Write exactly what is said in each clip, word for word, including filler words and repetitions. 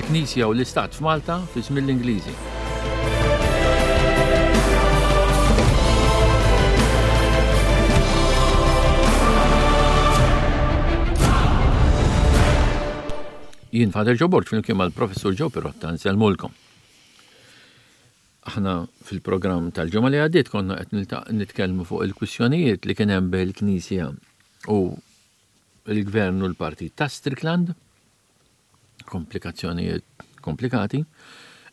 Il-Knisja u l-Istat f'Malta fi żmien l-Ingliżi. Jien Father Joe Borg flimkien mal-Professur Joe Pirotta nsellmulkom. Aħna fil-programm tal-ġimgħa li għaddiet konna qed nilta- nitkellmu fuq il-kwistjonijiet li kien hemm bejn il-Knisja u l-Gvern u l-Partit ta' Strickland, komplikazzjonijiet komplikati.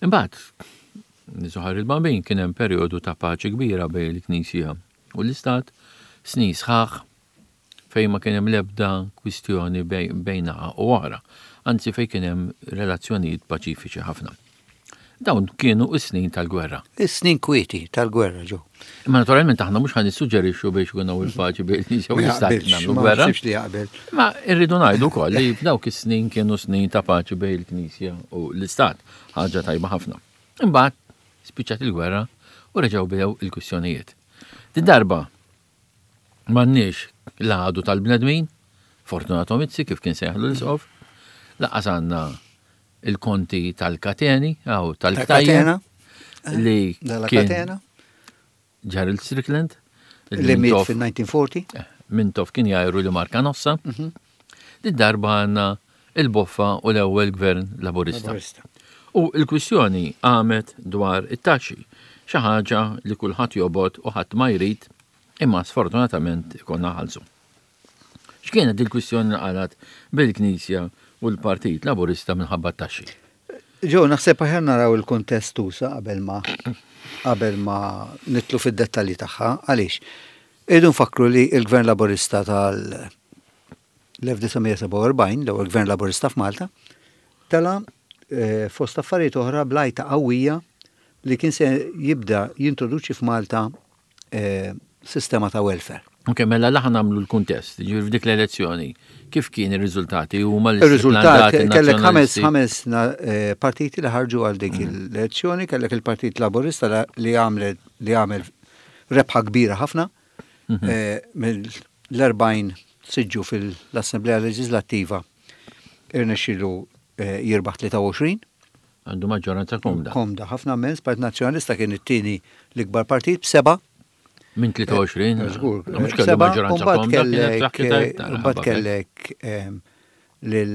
Imbagħad, nizuħar il-Bambin kien hemm perjodu ta' paċi kbira bejn il-Knisja u l-Istat, snin sħaħ fejn ma kien hemm l-ebda kwistjoni bejn naħa u oħra, anzi fejn kien hemm relazzjonijiet paċifiċi ħafna. Dawn kienu s-snin tal-gwerra. Is-snin kwieti tal-gwerra ġo. Imma naturalment aħna mhux ħa nissuġġerixxu biex ikun hawn il-paċi bejn il-Knisja u Ma l-Istat jaqbilx, nagħmlu ma gwerra. naħsibx li jaqbel. Ma irridu ngħidu wkoll li f'dawk is-snin kienu snin ta' paċi bejn il-Knisja u l-Istat, ħaġa tajba ħafna. Imbagħad spiċċat il-gwerra u reġgħu bdew il-kwistjonijiet. Din darba m'għandniex l-għadu tal-bnedmin, Fortunato Mizzi kif kien sejħlu l-isqof, laqas għandna il-konti tal-kateni, aw tal-ktajjen, Katena, li dalla kien katena, Gerald Strickland, li miet Mintoff- fil-elf disa' mija u erbgħin. Eh, Mintoff kien jgħajru li marka nossa. Din darba għandna il-boffa u l-ewwel gvern laburista. Laburista. U l-kwistjoni għamet dwar it-taxxi, xi ħaġa li kulħadd jobgħod u ħadd ma jrid, imma sfortunatament ikollna nħallsu. X'kienet il-kwistjoni li qalat bil-Knisja u l-Partit Laburista minħabba t-taxxi? Ġo, naħseb aħjar naraw il-kuntest usa qabel ma qabel ma nidħlu fid-dettalji tagħha. Għaliex? Irridu nfakru li il-Gvern Laburista tal-elf disa' mija sebgħa u erbgħin, l-ewwel Gvern Laburista f'Malta, tela eh, fost affarijiet oħra bl-għajta qawwija li kien se jibda jintroduċi f'Malta eh, sistema ta' welfare. Ok, mela laħan nagħmlu l-kuntest, ġifieri f'dik l-elezzjoni, kif kien ir-riżultati huma Il-riżultat kellek ħames l-Nazzjonalisti? ħames na- eh, partiti li ħarġu għal dik l-elezzjoni, kellek il-Partit Laburista la- li għamlet li għamel rebħa kbira ħafna eh, mill-erbgħin siġġu fil-Assemblea Leġislattiva irnexxielu eh, jirbaħ tlieta u għoxrin. Għandu maġġoranza komda. Komda ħafna mens. Partit Nazzjonalista kien it-tieni l-ikbar partit b'seba'. Minn tlieta u għoxrin, Żgur. mhux kellu Seba', maġġoranza u mbagħad komda, kienet kellek, saħħitha eh, iktar, mbagħad ħabba fek. kellek ehm, lil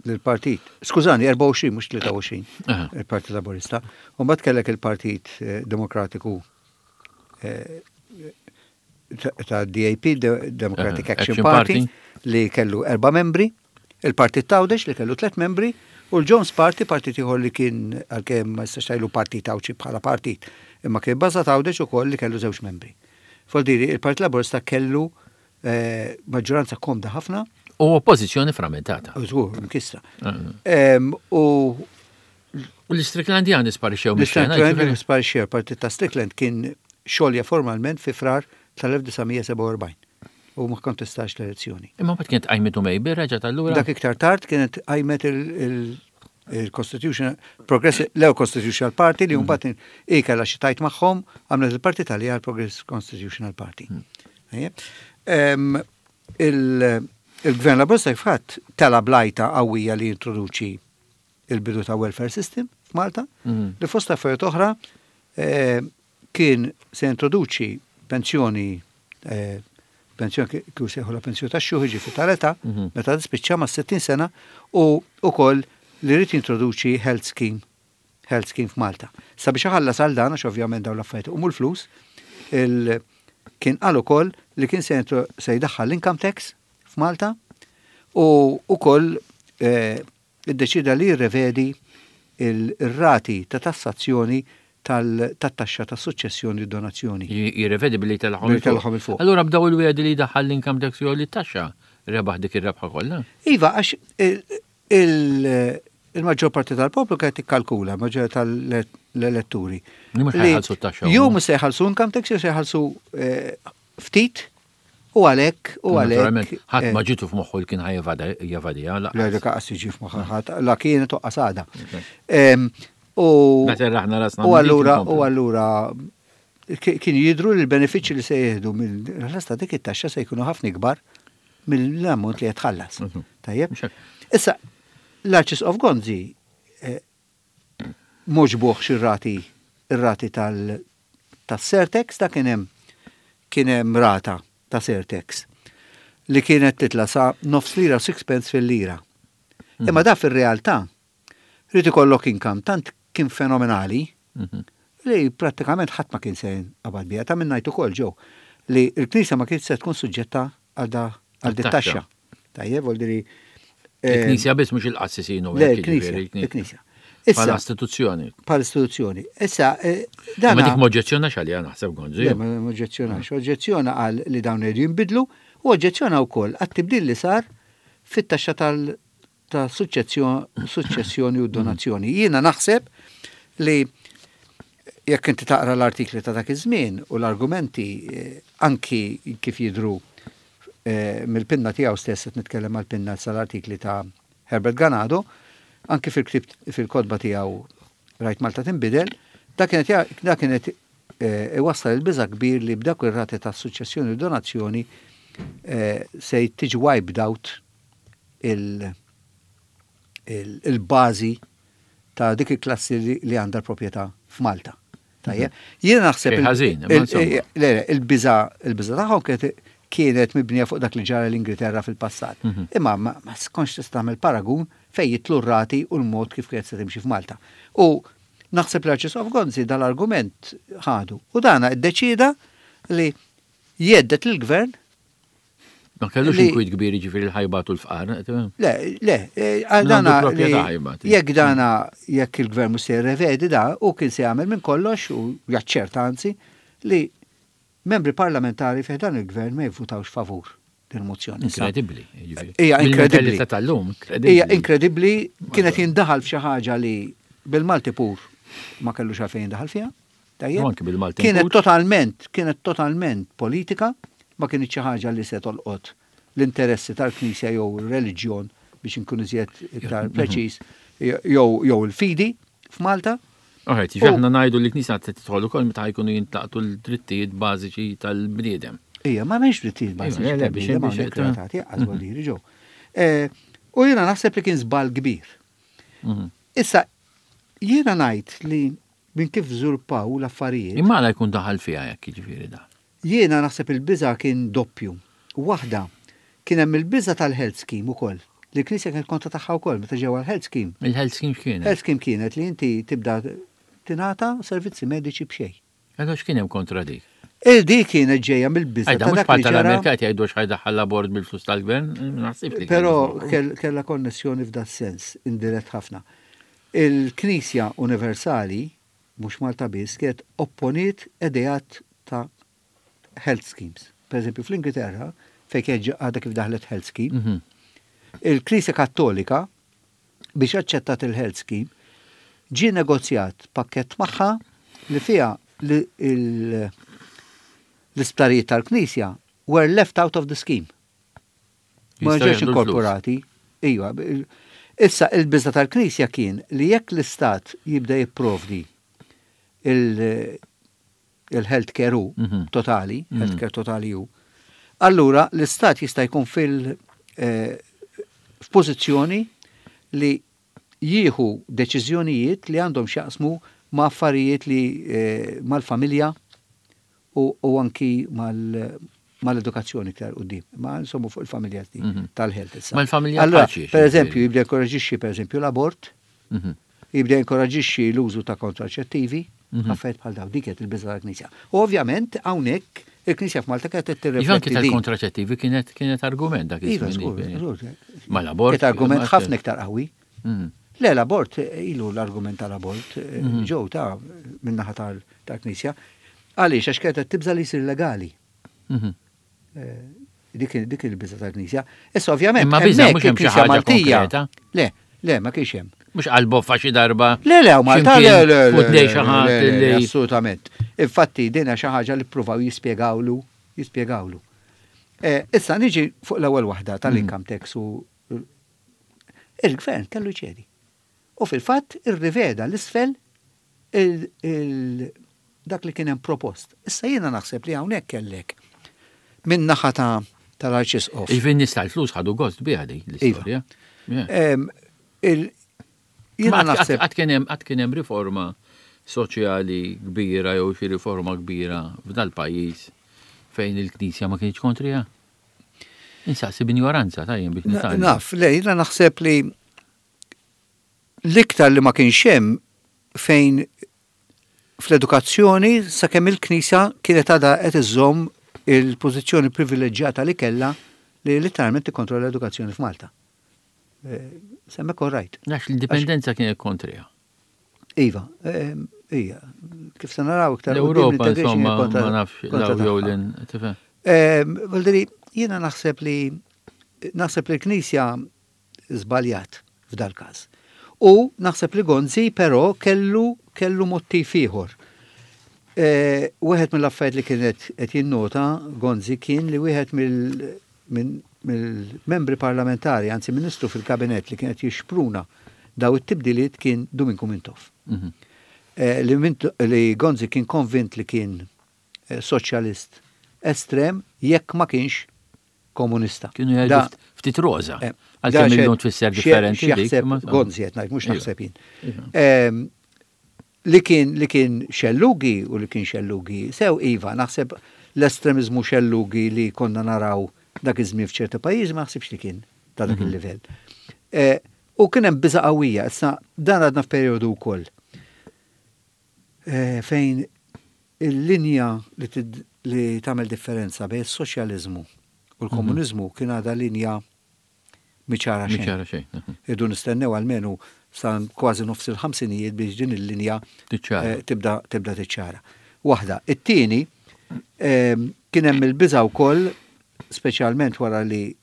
lill-partit. Skużani, erbgħa u għoxrin mhux tlieta u għoxrin. Aha. Il-Partit Laburista. U mbagħad kellek il-Partit eh, Demokratiku eh, ta' ta' D A P, De- Democratic Aha, Action Action Party, Party. li kellu erba' membri, il-Partit t'Għawdex li kellu tliet membri, u l-Jones Party, partit ieħor li kien għalkemm ma jistax tgħidlu partit Għawdxi bħala partit, imma kien bażat Għawdex ukoll li kellu żewġ membri. Voldiri, il-Partit Laburista kellu eh, maġġoranza komda ħafna, U oppożizzjoni frammentata. u żgur, mkissra. Mhm. Em, U U l-Stricklandjani sparixxew mix-xena. l-Strickland ġifieri- sparixxew, partit ta' Strickland kien xolja formalment fi Frar tal-elf disa' mija sebgħa u erbgħin u ma kontestax l-elezzjoni. Imma mbagħad kienet qajmitu Mejbir reġgħet allura. Dak iktar tard kienet qajmet il- il-Constitution Progressive, l Constitutional Party li mbagħad i kellha xi tajt magħhom għamlet il-partit għalija l-Progressive Constitutional Party. Ejja. Em, il- Il-Gvern Laburista fatt tela bl-għajta qawwija li introduċi il-bidu ta' welfare system f'Malta, Mhm. li fost affarijiet oħra eh, kien se introduċi pensjoni eh, pensjoni kif sejħu la pensjoni ta' xjuħ ġifi tal-età, Mhm. meta tispiċċa ma' sittin sena u ukoll li rrid jintroduċi health scheme health scheme f'Malta. Sabiex iħallas għal dan, għax ovvjament dawn l-affarijiet iqumu l-flus, il- kien qal ukoll li kien se jintro- se jdaħħal l-income tax f'Malta u ukoll eh, iddeċida li jirrevedi il-rati ta' tassazzjoni tal-taxxa ta' suċċessjoni u donazzjoni. Jirrevedi billi tellagħhom Billi tellagħhom 'il fuq. Allura bdaw il-wiegħdi li daħħal l-income tax jew li taxxa rebaħ dik ir-rebħa kollha. Iva, għax il- il- il-maġġor parti tal-poplu kienet tikkalkula, maġġor tal-elettori. Li mhux li ħa jħallsu t-taxxa Jew huma. mhux se jħallsu income tax, jew se jħallsu eh, ftit u għalhekk u Naturalment, għalhekk. ħadd eh, ma ġitu f'moħħu li kien ħa jevadiha. Le, dik qas jiġi f'moħħa ħadd, la kienet u qasada. Em, U Meta raħna rasna u minn dik allura inkomplu. u allura ki- kien jidru li l-benefiċċji li se jieħdu mill-ħlas ta' dik it-taxxa se jkunu ħafna ikbar mill-ammont li jitħallas. Mhm. Tajjeb? Mhux hekk. Issa, L-Arċisqof Gonzi eh, m'għoġbuhx ir-rati ir-rati tal tas-surtax, da kien hemm kien hemm rata ta' surtax li kienet titla sa nofs lira u sixpence fil-lira. Imma da fil-realtà rrid ikollok income tant kien fenomenali Mhm. li prattikament ħadd ma kien se qabad biha. Ta' minn ngħid ukoll ġew li l-Knisja ma kienx se tkun suġġetta għal da għal dit Għat-taxxa. taxxa. Tajjeb, vuol dire eh, Il-Knisja biss, mhux il-qassisin u Le, hekk, il-Knisja, jiġifieri, il-Knisja. Bħala Issa, istituzzjoni. bħala istituzzjoni. Issa, eh, Ma dana. dik m'oġġezzjonax għalija, naħseb, Gonzi. Le, ma oġġezzjonax. Oġġezzjona għal li dawn iridu jinbidlu u oġġezzjona wkoll għat-tibdil li sar fit-taxxa tal ta' suċċessjoni u donazzjoni. Jiena naħseb li jekk inti taqra l-artikli ta' dak iż-żmien u l-argumenti eh, anki kif jidru eh, mill-pinna tiegħu stess, qed nitkellem għall-pinna sal-artikli ta' Herbert Ganado, anki fil-ktib fil-kotba tiegħu Rajt Malta Tinbidel, da kienet ja- da kienet eh, iwassal il-biża kbir li b'dak ir-rati ta' suċċessjoni u donazzjoni eh, se tiġi wiped out il- il- il-bażi ta' dik il-klassi li, li għandha l-proprjetà f'Malta. Tajjeb. Jiena naħseb Xejn ħażin, imma il- insomma. il- le, le, il-biża il-biża tagħhom kienet kienet mibnija fuq dak li ġara l-Ingilterra fil-passat. Mhm. Imma ma, ma skonx tista' tagħmel paragun fejn jitlu r-rati u l-mod kif kienet se timxi f'Malta. U naħseb l-Arċisqof Gonzi dal-argument ħadu. U dana iddeċida li jhedded lill-gvern. Ma kellux li- inkwiet kbir, ġifieri l-ħajbat u l-fqar. Le, le, eh, għal Min dana għandu proprjetà li ħajbat. jekk dana jekk il-gvern mhux se jirrevedi da, u kien se jagħmel minn kollox u jaċċerta anzi li membri parlamentari fih dan il-gvern ma jivvutawx favur din il-mozzjoni. Issa, Inkredibbli. Jiġifieri. Hija inkredibbli. Bil-mentalità tal-lum, inkredibbli. Hija inkredibbli, kienet jindaħal f'xi ħaġa li bil-Malti pur ma kellux għalfejn jindaħal fiha. Tajjeb? U anki bil-Malti Kienet pur. totalment, kienet totalment politika, ma kienet xi ħaġa li se tolqot l-interessi tal-Knisja jew ir-reliġjon, biex inkun iżjed iktar Mhm. preċiż, jew jew il-fidi f'Malta. Alright, jiġifieri aħna ngħidu li l-Knisja tidħol ukoll meta jkunu jintlaqtu l-drittijiet bażiċi tal-bniedem. Ija, ma m'hemmx drittijiet bażiċi Iva, le, le, biex- tal-bniedem biex- hawnhekk relatati, għaż vuol ġew. Eh, U jiena naħseb li kien żball kbir. Mhm. Issa, jiena ngħid li minn kif żviluppaw l-affarijiet, Imma għala jkun daħal fiha jekk, jiġifieri da? Jiena naħseb il-biża kien doppju. Waħda, kien hemm il-biża tal-health scheme ukoll. Li l-Knisja kienet kontra tagħha wkoll meta ġew għall-health scheme. Il-health scheme x'kienet? Health scheme kienet li inti tibda tingħata servizzi mediċi b'xejn. Għadu x'kien hemm kontra dik? Il di kienet ġejja mill-biża Għajda, ta' mhux dak bħal li ġara, tal-Amerika qed jgħidu x'ħa jdaħħal l-abort bil-flus tal-gvern, naħsib li però kien- kell- kellha konnessjoni f'da sens, indirett ħafna. Il-Knisja Universali, mhux Malta biss, kienet opponiet ideat ta' health schemes. Per eżempju, fl-Ingilterra, fejn kienet ġa- għadha kif daħlet health scheme, Mhm. il-Knisja Kattolika biex aċċettat il-health scheme ġie negozjat pakket magħha li fiha li il- l-isptarijiet tal-Knisja were left out of the scheme. Ma Jistgħu ġewx jieħdu l-flus. inkorporati. Iva, il- issa il-biża tal-Knisja kien li jekk l-Istat jibda jipprovdi il- il-healthcare hu Mhm. totali, Mhm. healthcare totali hu, allura l-Istat jista' jkun fil eh, f'pożizzjoni li jieħu deċiżjonijiet li għandhom x'jaqsmu ma' affarijiet li eh, mal-familja u, u anki mal- mal-edukazzjoni iktar quddiem. Ma insomma fuq il-familja di Mhm. tal-health issa. Mal-familja Allora, paċi, per eżempju, ġifieri. jibda inkoraġixxi per eżempju l-abort, Mhm. jibda inkoraġixxi l-użu ta' kontraċettivi, Mhm. affarijiet bħal daw, dik kienet il-biża tal-Knisja. U ovvjament hawnhekk il-Knisja f'Malta kienet qed Iva, anki tirrifletti din. tal-kontraċettivi kienet kienet argument dak Iva, iż-żmien, żgur, jiġifieri. żgur. Ma l-abort. Kienet argument ma- ħafna iktar qawwi. Mhm. Le, l-abort, eh, ilu l-argument tal-abort, eh, Mhm. ġew ta' minnaħa tal- tal-Knisja. Għaliex, għax kienet qed tibża li jsir legali. Mhm. Eh, Dik dik il-biża tal-Knisja. Issa ovvjament, Imma biża' hemmhekk mhux hemm xi il-Knisja ħaġa Maltija. konkreta. Le, le, ma kienx hemm. Mhux qalboffa xi darba. Le, le, u Malta, le, le, le, X'imkien le, xi ħadd le, le, li. assolutament. Infatti, din hija xi ħaġa li ppruvaw jispjegawlu, jispjegawlu. Eh, Issa niġi fuq l-ewwel waħda tal-income tax u il-gvern kellu jċedi. U fil-fatt irriveda l-isfel il- il- dak li kien hemm propost. Issa jiena naħseb li hawnhekk kellek min naħa ta' tal-Arċisqof. Jiġifieri nies tal-flus ħadu gost biha di l-istorja. Yeah. Em, Il jiena naħseb Għad kien hemm għad kien hemm riforma soċjali kbira jew xi riforma kbira f'dal-pajjiż fejn il-Knisja ma kienx kontriha? Insaqsi b'injoranza tajjem biex nitgħallem. Naf, le, jiena naħseb li l-iktar li ma kienx hemm fejn fl-edukazzjoni sakemm il-Knisja kienet għadha qed iżżomm il-pożizzjoni privileġġjata li kellha li letteralment tikkontrolla l-edukazzjoni f'Malta. Eh, Semmek all right. Għax l-indipendenza kienet kontriha. Iva, eh, ija, kif se naraw iktar quddiem L-Ewropa l-integration insomma kienet kontra- ma nafx kontra law jew tagħha. lin, tifhem. Eh, Valderi, jiena naħseb li naħseb li l-Knisja żbaljat f'dal każ. U naħseb li Gonzi però kellu kellu mottiv ieħor. Eh, Wieħed mill-affarijiet li kienet qed jinnota Gonzi kien li wieħed mill- minn- mill-membri parlamentari, anzi ministru fil-kabinet li kienet jixpruna daw it-tibdiliet kien Duminku Mintoff. Mhm. Eh, li, Minto- li Gonzi kien konvint li kien eh, soċjalist estrem jekk ma kienx komunista. Kienu jgħidu Da- ft- ftit roża. eh, Għalkemm da illum xe- tfisser xe- differenti dik. x'jaħseb imma- Gonzi qed ngħid, mhux Iva. naħseb jien. Iva. Ehm, Li kien li kien xellugi u li kien xellugi, sew iva, naħseb l-estremizmu xellugi li konna naraw dak iż-żmien f'ċerti pajjiżi ma naħsibx li kien ta' dak Mhm. il-livell. Eh, U kien hemm biża' qawwija, issa dan għadna f'perjodu wkoll. Eh, Fejn il-linja li tid- li tagħmel differenza bejn is-soċjaliżmu u l-komuniżmu kien għadha linja mhi ċara xejn. Mhi ċara xejn. mhm. Irridu nistennew almenu sa kważi nofs il-ħamsinijiet biex din il-linja Tiċċara. eh, tibda tibda tiċċara. Waħda. It-tieni ehm, kien hemm il-biża wkoll speċjalment wara li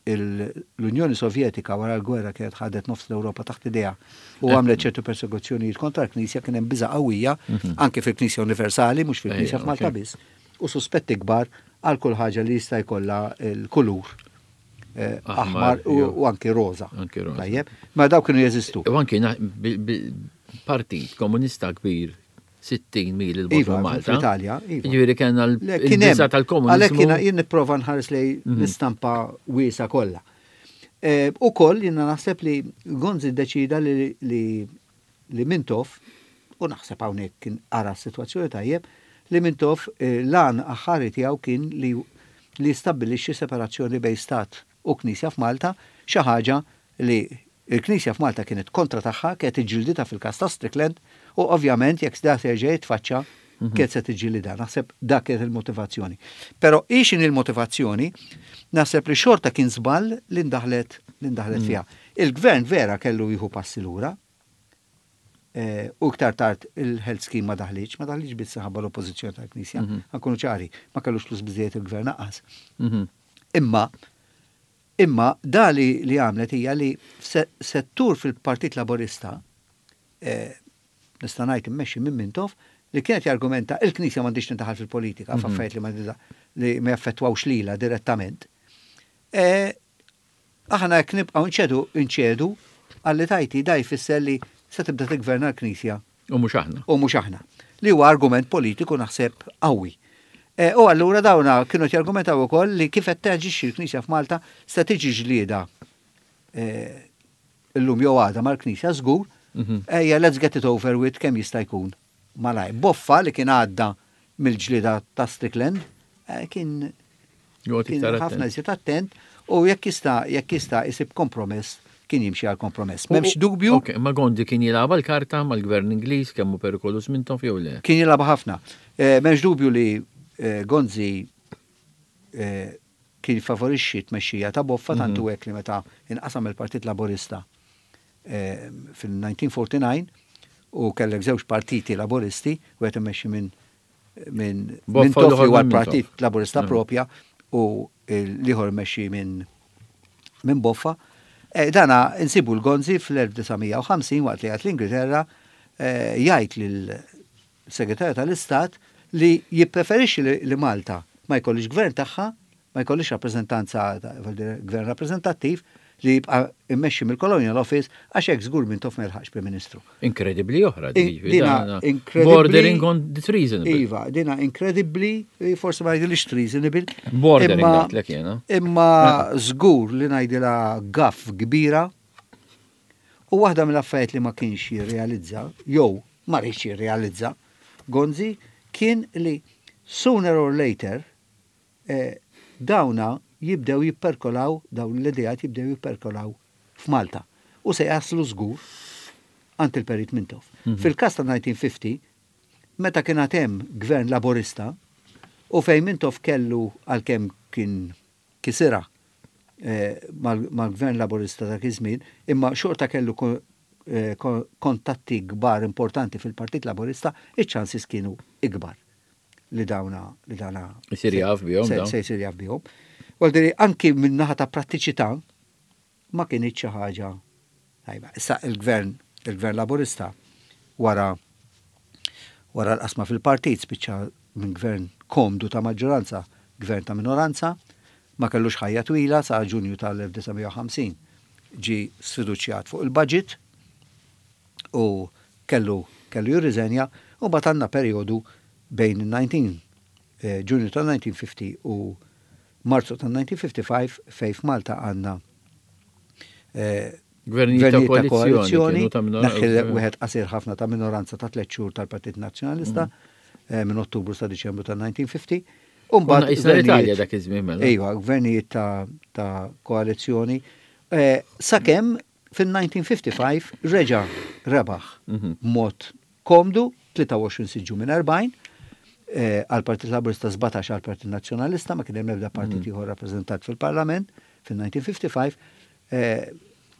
il- l-Unjoni Sovjetika wara l-gwerra kienet ħadet nofs l-Ewropa taħt idea u għamlet ċertu persekuzzjonijiet kontra l-Knisja kien hemm biża qawwija anke fil-Knisja Universali mhux fil-Knisja Ejja, f'Malta ok. biss u suspetti kbar għal kull ħaġa li jista' jkollha l-kulur eh, Aħmar, aħmar u jew- u anki roża. Anki roża. Tajjeb, ma daw kienu jeżistu. U anki na- bi- bi- partit komunista kbir sittin mil il-bogħod Iva, Malta. fl-Italja, iva. Ġifieri kellna Le, kien hemm. l-biża Għalhekk tal-komuniżmu. jiena jien nipprova nħares lej l-istampa wiesa kollha. Eh, Ukoll jiena naħseb li Gonzi ddeċida li, li, li Mintoff, u naħseb hawnhekk kien ara s-sitwazzjoni tajjeb, li Mintoff eh, l-għan aħħari tiegħu kien li li stabbilixxi separazzjoni bejn stat u Knisja f'Malta, xi ħaġa li il-Knisja f'Malta kienet kontra tagħha, kienet iġġildita fil-każ ta' Strickland u ovvjament jekk da se jerġa' jitfaċċa kienet se tiġġilida. Naħseb dak kienet il-motivazzjoni. Però ixin il-motivazzjoni, naħseb li xorta kien żball li ndaħlet li ndaħlet fiha. Il-gvern vera kellu jieħu passi lura, eh, u iktar tard il-health scheme ma daħliċ, ma daħliċ biss ħabba l-oppożizzjoni tal-Knisja, ħa nkunu ċari, ma kellux flus biżejjed il-gvern naqas. Mhm. Imma imma da li, li għamlet hija li se- settur fil-Partit Laborista eh, nista' ngħid immexxi minn Mintoff li kienet jargumenta il-Knisja m'għandix tindaħal fil-politika f'affarijiet li ma li ma jaffettwawx lilha direttament. Eh, aħna jekk nibqgħu nċedu nċedu għalli tajti da jfisser li se tibda tigverna l-Knisja U mhux aħna. u mhux aħna. Li huwa argument politiku naħseb qawwi. E, u allura dawna kienu jargumentaw ukoll li kif qed taġixxi l-Knisja f'Malta se tiġi ġlieda e, illum jew għada mal-Knisja żgur, Mhm. ejja let's get it over with kemm jista' jkun. Malaj, Boffa li kien għadda mill-ġlieda ta' Strickland eh, kien Joqgħod kien iktar ħafna attent. iżjed attent u jekk jista' jekk jista' isib kompromess kien jimxi għal kompromess. U- M'hemmx dubju Ok, ma Gonzi kien jilgħab l-karta mal-gvern Ingliż kemm hu perikolus Mintoff jew le. kien jilgħab ħafna. Eh, M'hemmx dubju li eh, Gonzi eh, kien favorixxi t-tmexxija ta' Boffa tantu hekk li meta inqasam il-Partit Laborista eh, fil-elf disa' mija u erbgħa u erbgħin u kellek żewġ partiti laboristi, u qed immexxi minn minn Boffa minn u Toff li l-ieħor huwa minn l-Partit Mintoff. Laborista Mm. propja u l-ieħor mmexxi minn minn Boffa. Eh, Dana insibu l-Gonzi fl-elf disa' mija u ħamsin waqt li għat l-Ingilterra eh, jgħid lil-Segretarju tal-Istat li jippreferixxi li, li Malta ma jkollix gvern tagħha, ma jkollix rappreżentanza, ta- vuol dire gvern rappreżentattiv li jibqa' immexxi mill-Colonial Office għax hekk żgur Mintoff ma jilħaqx Prim Ministru. Inkredibbli oħra. In- dik, dina dana incredibly- Bordering on the treasonable. Iva, dina incredibly, forse ma jgħidilix treasonable. Bordering imma- għatlek jena. Imma żgur li ngħidilha gaffe kbira U waħda mill-affarijiet li ma kienx jirrealizza, jew ma riedx jirrealizza, Gonzi, kien li sooner or later eh, dawna jibdew jipperkolaw, dawn l-idejat jibdew jipperkolaw f'Malta. U se jaslu żgur għand il-Perit Mintoff. Mm -hmm. Fil-kas ta' elf disa' mija u ħamsin, meta kien hemm gvern laborista, u fejn Mintoff kellu, għalkemm kien kisira eh, mal-gvern laborista ta' iż-żmien, imma xorta kellu eh, kontatti kbar importanti fil-Partit Laborista, iċ-chances kienu ikbar li dawna li dawna Isir jaf bihom. Se jsir jaf bihom. Għaldiri, anki minn naħa ta' prattiċità ma kienx xi ħaġa tajba. Issa il-gvern, il-gvern laborista wara wara l-qasma fil-partit spiċċa minn gvern komdu ta' maġġoranza, gvern ta' minoranza, ma kellux ħajja twila. Sa' Ġunju tal-elf disa' mija u ħamsin ġi sfiduċjat fuq il-budget u kellu kellu jirriżenja, u mbagħad għandna perjodu bejn il-disgħin eh, Ġunju tal-elf disa' mija u ħamsin u Marzu tal-elf disa' mija u ħamsa u ħamsin fej f'Malta għandna eh, gvernijiet ta' koalizjoni, naħħi wieħed qasir ħafna ta' minoranza ta' tliet xhur tal-Partit Nazzjonalista mm. eh, minn Ottubru sa' Diċembru tal-elf disa' mija u ħamsin. Umbagħad l-Italja dak iż-żmien mela. Ejwa, gvernijiet ta' koalizzjoni. Sakemm fil-elf disa' mija u ħamsa u ħamsin reġa' rebaħ mhm. mod komdu, tlieta u għoxrin siġġu minn erbgħin eh, għal-Partit Laburista, sbatax għal-Partit Nazzjonalista, ma kien hemm ebda partit mhm. ieħor rappreżentat fil-Parlament fil-elf disa' mija u ħamsa u ħamsin, eh,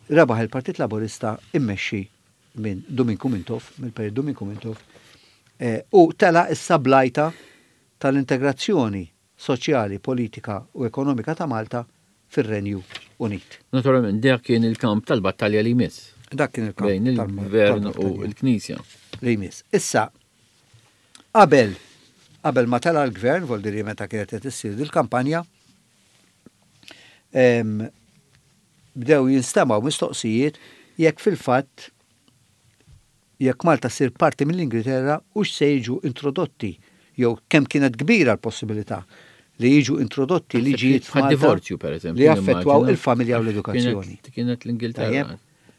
rebaħ il-Partit Laburista immexxi minn Duminku Mintoff, mill-Perit Duminku Mintoff, eh, u tela issa blajta tal-integrazzjoni soċjali, politika u ekonomika ta' Malta fir-Renju Unit. Naturalment, dak kien il-kamp tal-battalja li jmiss. Dak kien il-kamp bejn il-gvern u l-Knisja. Li jmiss. Issa, qabel qabel ma tela l-gvern, vol diri meta kienet qed issir dil-kampanja, bdew jinstemaw mistoqsijiet jekk fil-fatt jekk Malta ssir parti mill-Ingilterra u se jiġu introdotti jew kemm kienet kbira l-possibilità li jiġu introdotti liġijiet f'Malta divorzju per eżempju li jaffettwaw il-familja u l-edukazzjoni. Kienet l-Ingilterra.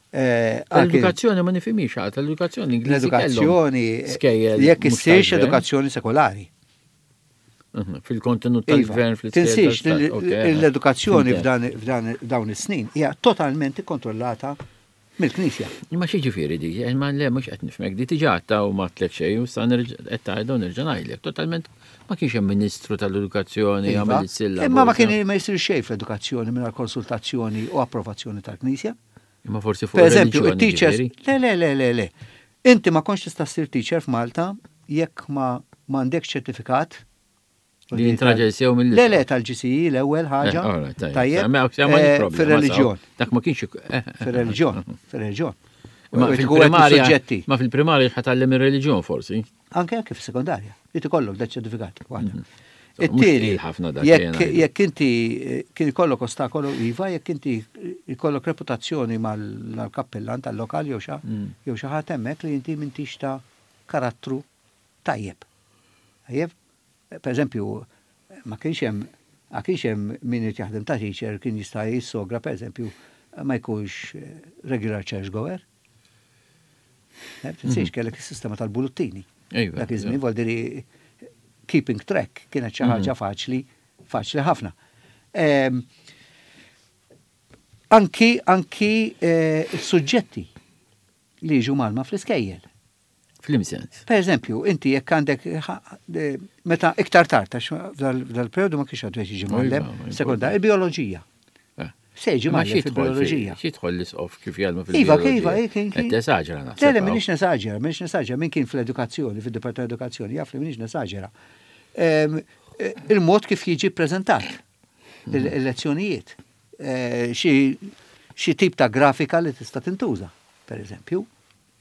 Eh, L-edukazzjoni ma nifhimix għad, l-edukazzjoni L-edukazzjoni jekk issirx edukazzjoni sekolari. Mhm, fil-kontenut tal-gvern. Iva, tinsiex l-edukazzjoni f'dan dawn is-snin hija totalment ikkontrollata mill-Knisja. Imma xi ġifieri di, eh, ma le mhux qed nifhmek di tiġa u ma tlek xejn u sa qed tgħidu nerġa' ngħidlek. Totalment ma kienx hemm Ministru tal-Edukazzjoni Iva. jagħmel is-silla. Imma ma kien ma jsir xejn fl-edukazzjoni mingħajr konsultazzjoni u approvazzjoni tal-Knisja. Imma forsi fuq Per eżempju, il-reliġjoni il-teachers. ġifieri. Le, le, le, le, le. Inti ma kontx tista' ssir teacher f'Malta jekk ma m'għandekx ċertifikat. Li jintraġel sew mill Le, le, tal-G C E l-ewwel ħaġa. Eh, alright, tajjeb. Tajjeb. Ma- ma- eh, problema, Fir-reliġjon. Dak ma kienx. eh, eh, Fir-reliġjon. Fir-reliġjon. Ma U tkun qed fil-primarja, suġġetti. ma fil-primarja ħatallem ir-reliġjon forsi. Anke anke fis-sekondarja. Li tikollok da ċertifikat waħda. Mhm. So, mhux It-tieni, tqil ħafna dak jekk li ngħidu. jekk inti eh, kien ikollok ostakolu iva, jekk inti ikollok reputazzjoni mal-kappellan tal-lokal jew xa Mm. jew xi ħadd hemmhekk li inti m'intix ta' karattru tajjeb. Tajjeb? Per eżempju, ma kienx hemm ma kienx hemm min irid jaħdem ta' teacher kien jista' jissogra, per eżempju, ma jkunx eh, regular church goer. Eh, Tinsiex kellek is-sistema tal-buluttini. Ejwa, Dak iż-żmien vol diri keeping track kienet xi ħaġa faċli, faċli ħafna. Em, Anki anki eh, suġġetti li jiġu mgħallma fl-iskejjel. F'liema sens. Per eżempju, inti jekk għandek eh, meta iktar tard, għax f'dal-periodu ma kienx għadu jiġi mgħallem, Iva, ma sekonda, il-bioloġija. Eh. Se jiġi Ma mgħallem xi jidħol fil-bioloġija. fi- xi jidħol l-isqof kif jgħallmu Iva, fil-bioloġija? iva, kien kien. Qed tesaġera naħseb. Le, le, minix nesaġera, minix nesaġera, min kien fl-edukazzjoni, fil-Dipartiment Edukazzjoni, jaf li minix nesaġera. Em, eh, Il-mod kif jiġi prezentat, il-lezzjonijiet, eh, xi xi tip ta' grafika li tista' tintuża, per eżempju.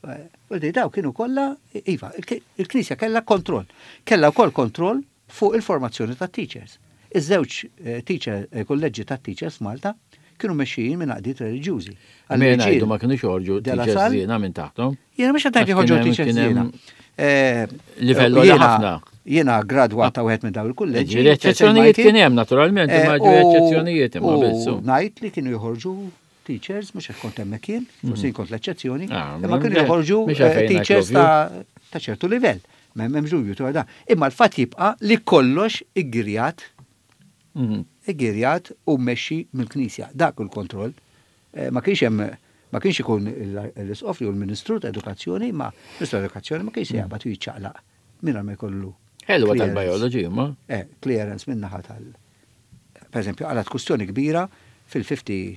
Eh, U di daw kienu kollha, iva, il- il-Knisja kellha kontroll. Kellha wkoll kontroll fuq il-formazzjoni ta' teachers. Iż-żewġ eh, teacher, eh, kolleġġi ta' teachers f'Malta kienu mexxijin minn għaqdiet reliġjużi. Mela ngħidu ma kienux joħorġu De La teachers Salle? żiena minn taħtom. Jiena mhux qed ngħid Għax joħorġu kien hemm- teachers kien hemm żiena. Eh, livell jiena- għoli ħafna. Jiena gradwat ta' wieħed minn dawn il-kulleġġi. Ġifieri eċċezzjonijiet kien hemm naturalment, Eh, imma ġifieri eċċezzjonijiet imma U bissu. ngħid li kienu joħorġu teachers, mhux hekk kont hemmhekk jien, forsi kont l-eċċezzjoni, Ah, imma kienu mhux joħorġu mhux eh, għalfejn teachers ngħidlu ta' ta' ċertu livell. M'hemmx dubju dwar dan. Imma l-fatt jibqa' li kollox iggirjat Mhm. iggirjat u mmexxi mill-Knisja. Dak il-kontroll. Eh, Ma kienx hemm ma kienx ikun l-isqof jew l-Ministru ta' Edukazzjoni, ma Ministru ta' Edukazzjoni ma kienx se jaqbad u jiċċaqlaq mingħajr ma jkollu Ħelwa clearance. tal-biology, ma. Eh, clearance min-naħa tal. Per eżempju, għalat kustjoni kbira fil-ħamsa u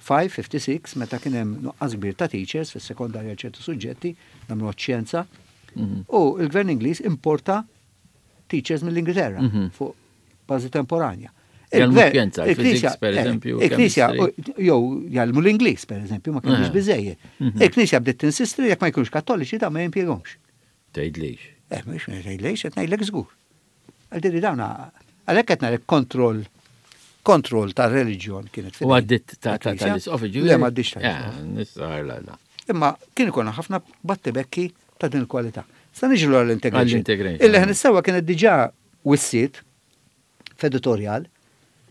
ħamsin, ħamsa u sittin, meta kien hemm nuqqas kbir ta' teachers fis-sekondarja ċertu suġġetti, nagħmlu xjenza, Mhm. u l-gvern Ingliż importa teachers mill-Ingilterra Mhm. fuq bażi temporanja. Jgħallmu Il-gvern- xjenza, il-Knisja- il-physics, per eh, eżempju, Il-Knisja, chemistry. jew jgħallmu l-Ingliż, per eżempju, ma kienx Eh. biżejjed. Mhm. Il-Knisja bdiet tinsisti li jekk ma jkunux kattoliċi da ma jimpjegomx. Tgħidlix. Eh, mhux ngħidlek, qed ngħidlek żgur. Għal dawna, għalhekk qed ngħidlek kontroll kontroll ta' reliġjon kienet U għaddit ta' ta' tal-Knisja. tal-isqof ġifieri? Le, ma għaddix Eh, tal-isqof. Nistar la la. Imma kien ikun ħafna battibekki ta' din il-kwalità. Sa niġu għall-integration. Għall-integration. Il-Leħen is-Sewwa kienet diġà wissiet f'editorial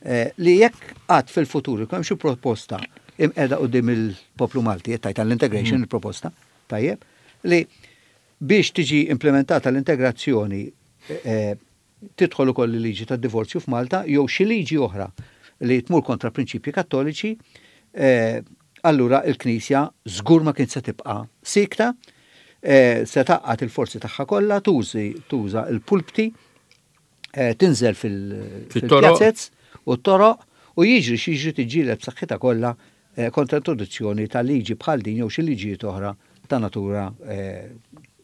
eh, li jekk għad fil-futur ikun hemm xi proposta imqiegħda quddiem il-poplu Malti, qed tgħid għall-integration il-proposta, tajjeb, li biex tiġi implementata l-integrazzjoni eh, tidħol ukoll il-liġi tad-divorzju f'Malta jew xi liġi oħra li tmur kontra prinċipji kattoliċi, eh, allura il-Knisja żgur ma kien se tibqa' sikta, eh, se tgħaqqad il-forzi tagħha kollha, tużi tuża il-pulpti, eh, tinżel fil- Fit-toroq. fil-pjazzez u t-toroq u jiġri x'jiġri tiġġieled b'saħħitha kollha eh, kontra introduzzjoni ta' liġi bħal din jew xi liġijiet oħra ta' natura eh,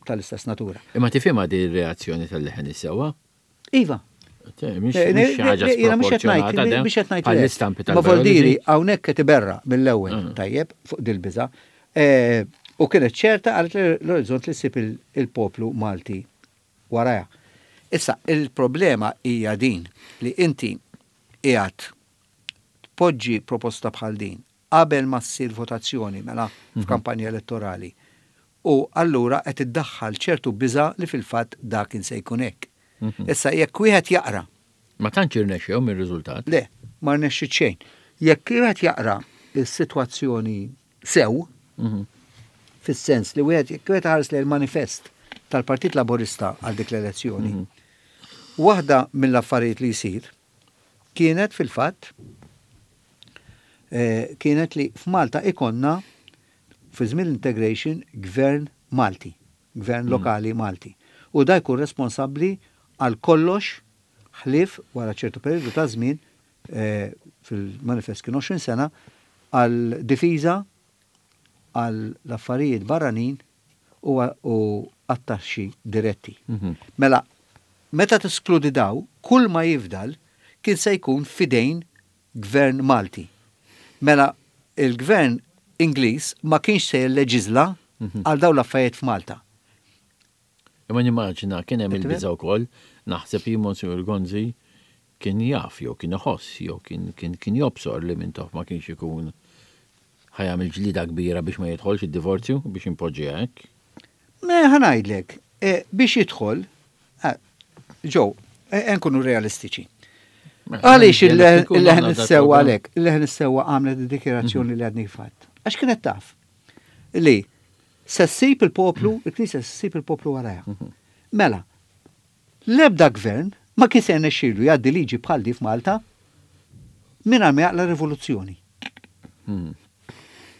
tal-istess natura. Imma tifhimha di reazzjoni tal-Leħen is-Sewwa? Iva, Te, Mhix Eh, mhix xi ħaġa jiena mhux qed ngħid- sproporzjonata de, mhux qed ngħid le. bħall-istampi Ma voldiri tal-biology. hawnhekk qed iberra mill-ewwel Mm. tajjeb fuq dil-biża. Eh, U kienet ċerta għalet l-orizzont li ssib il- il-poplu Malti waraja. Issa, il-problema hija din li inti qiegħed tpoġġi proposta bħal din qabel ma ssir votazzjoni mela f'kampanja elettorali. U allura qed iddaħħal ċertu biża li fil-fatt dak kien se jkun hekk. Mhm. Issa jekk wieħed jaqra Ma tantx irnexxew mir-riżultat. Le, ma rnexxi xejn. Jekk wieħed jaqra is-sitwazzjoni sew, Mhm. fis-sens li wieħed jekk wieħed ħares lejn il-manifest tal-Partit Laburista għal dik l-elezzjoni, Mhm. waħda mill-affarijiet li jsir kienet fil-fatt eh, kienet li f'Malta ikonna fi żmien l-integration gvern Malti, gvern lokali Malti. U da jkun responsabbli għal kollox ħlief wara ċertu periodu ta' żmien eh, fil-manifest kien għoxrin sena għal difiża għal l-affarijiet barranin u u għat-taxxi diretti. Mhm. Mela, meta teskludi daw, kull ma jifdal kien se jkun fidejn gvern Malti. Mela, il-gvern Ingliż ma kienx se jilleġizla Mhm. għal daw l-affarijiet f'Malta. Imma nimmaġina kien hemm Qed il-biża wkoll, naħseb jien Monsignor Gonzi kien jaf jew kien iħoss jew kien kien kien jobsor li Mintoff ma kienx ikun ħa jagħmel ġlida kbira biex ma jidħolx id-divorzju biex impoġġiha hekk. Me ħa ngħidlek, eh, biex jidħol, eh, ġew, eh, nkunu realistiċi. Mela, Għaliex jekk ikun il-Leħen għandna is-Sewwa dat-program. għalek, il-Leħen is-Sewwa għamlet id-dikjerazzjoni li għadni fatt. Għax kienet taf li se ssib il-poplu, il-Knisja se ssib il-poplu warajha. Mela, l-ebda gvern ma kien se jnexxielu jgħaddi liġi bħal di f'Malta mingħajr ma jaqla rivoluzzjoni. Mhm.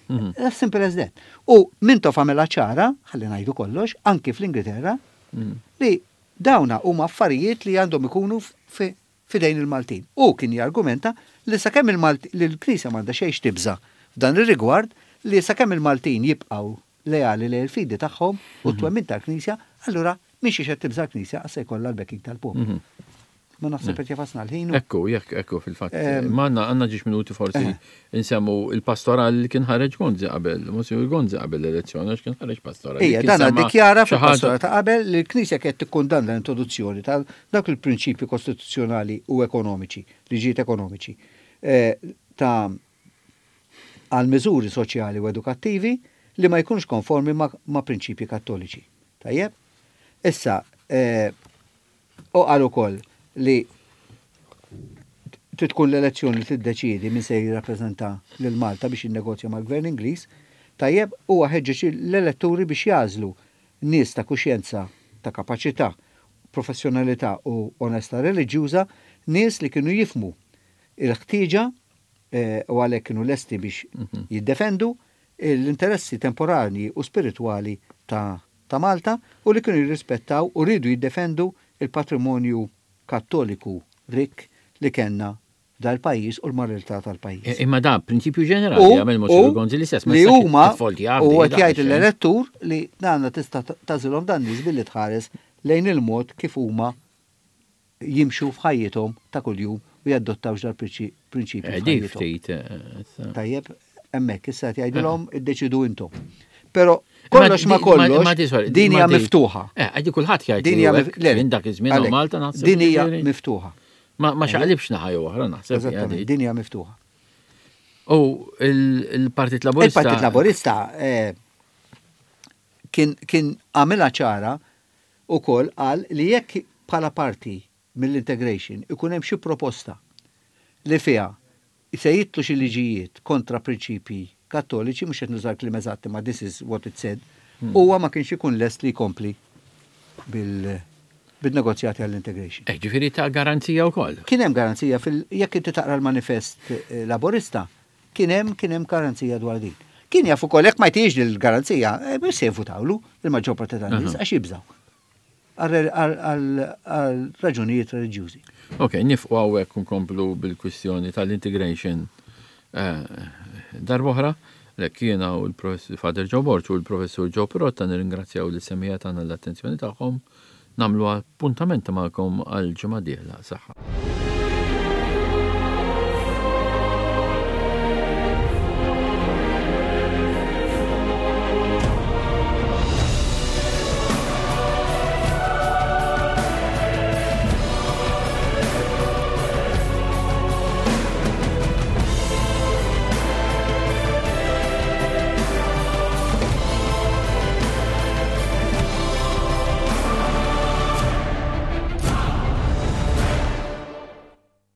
Mhm. As simple as that. U Mintoff għamela ċara, ħalli ngħidu kollox, anki fl-Ingilterra, Mhm. li dawna huma affarijiet li għandhom ikunu fi fidejn il-Maltin. U kien jargumenta li sakemm il-Malti li l-Knisja m'għandha xejn tibża f'dan ir-rigward li sakemm il-Maltin jibqgħu leali lejn il-fidi tagħhom u t-twemmin tal-Knisja, allura mhix qed tibża l-Knisja għas se jkollha l-backing tal-poplu. Mhm. Ma naħseb qed jagħfasna l-ħin. u- Ekku, jekk, ekku, fil-fatt. Em, Ma għandna għandna ġiex minuti forsi Eh. insemmu il-pastoral li kien ħareġ Gonzi qabel, Monsignor Gonzi qabel l-elezzjoni, għax kien ħareġ pastoral. Ija, Kien dan semma dikjara xi ħaġa- fil-pastora ta' qabel li l-Knisja kienet tikkundanna l-introduzzjoni ta' dak il-prinċipji kostituzzjonali u ekonomiċi, liġijiet ekonomiċi, eh, ta' għal miżuri soċjali u edukattivi li ma jkunux konformi ma', ma prinċipji kattoliċi. Tajjeb? Issa, eh, u qal ukoll li Trid tkun l-elezzjoni li tiddeċiedi min se jirrappreżenta lil Malta biex jinnegozja mal-Gvern Ingliż, tajjeb, huwa ħeġġeġ l-elettori biex jagħżlu nies ta' kuxjenza, ta' kapaċità, professjonalità u onestà reliġjuża, nies li kienu jifhmu il-ħtieġa eh, u għalhekk kienu lesti biex mhm. jiddefendu l-interessi temporani u spiritwali ta', ta' Malta u li kienu jirrispettaw u rridu jiddefendu il-patrimonju kattoliku rik li kellna dal-pajjiż u l-moralità tal-pajjiż. E, imma da prinċipju ġenerali għamel Monsinjur Gonzi l-istess. Li huma u qed jgħid l-elettur li għandna tista' tagħżilhom dan nies billi tħares lejn il-mod kif huma jimxu f'ħajjithom ta' kuljum u jadottawx dal-prinċipju. Eh, ftit. Eh, Tajjeb, hemmhekk issa qed jgħidilhom iddeċidu intom. Però kollox ma kollox, din hija miftuħa. Eh, għadi kulħadd jgħid. Din hija minn dak iż-żmien Malta naħseb. Din hija miftuħa. Ma ma xaqlibx naħa jew oħra naħseb. Eżattament, din hija miftuħa. U il-Partit Laburista. Il-Partit Laburista eh, kien kien għamilha ċara ukoll qal li jekk bħala parti mill-integration ikun hemm xi proposta li fiha se jidħlu xi liġijiet kontra prinċipji kattoliċi, mhux qed nużar kliem eżatti ma this is what it said, hmm. huwa ma kienx ikun lest li jkompli bil bil-negozjati għall-integration. Eh, ġifieri ta' garanzija wkoll. Kien hemm garanzija fil jekk inti taqra l-manifest eh, laborista, kien hemm kien hemm garanzija dwar din. Kien jaf ukoll jekk ma jtiex il-garanzija, eh, mhux se jivvutawlu il-maġġor parti tan-nies għax jibżgħu għal raġunijiet reliġjużi. Ok, nieqfu hawnhekk nkomplu bil-kwistjoni tal-integration eh, darb'oħra. Lek jiena u l-professur Father Joe Borg u l-professur Joe Pirotta nirringrazzjaw lis-semmiegħa tagħna l-attenzjoni tagħhom nagħmlu appuntament magħkom għal ġimgħa dieħla. Saħħa.